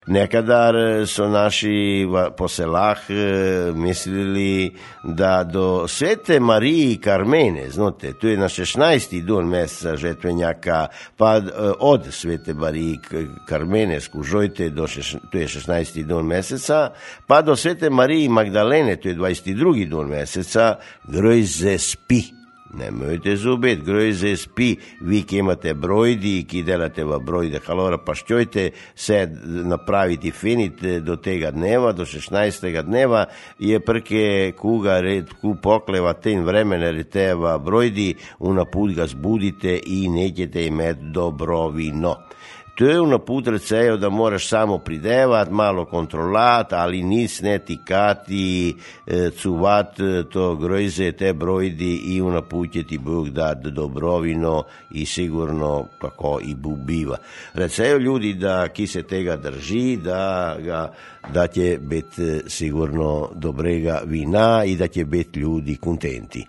Nekadar so naši po selah mislili, da do Svete Mariji Karmene, znate, tu je na 16. dan meseca žetvenjaka, pa od Svete Mariji Karmene skužojte, tu je 16. dan meseca, pa do Svete Mariji Magdalene, tu je 22. dan meseca, grojze spi. Nemojte zubet, grojze spi, vi ki imate brojdi, ki delate v brojde, halora pa ščojte se napraviti finit do tega dneva, do 16. dneva, je prke kuga red, ku pokleva ten vremena reteva brojdi, unaput ga zbudite i nećete imeti dobrovino. To je unaput recejo, da moraš samo pridevati, malo kontrolati, ali nic ne tikati, cuvat to grojze, te brojdi i unaput će ti Bog dati dobrovino i sigurno tako i biva. Recejo ljudi da ki se tega drži, da će biti sigurno dobrega vina i da će biti ljudi kontenti.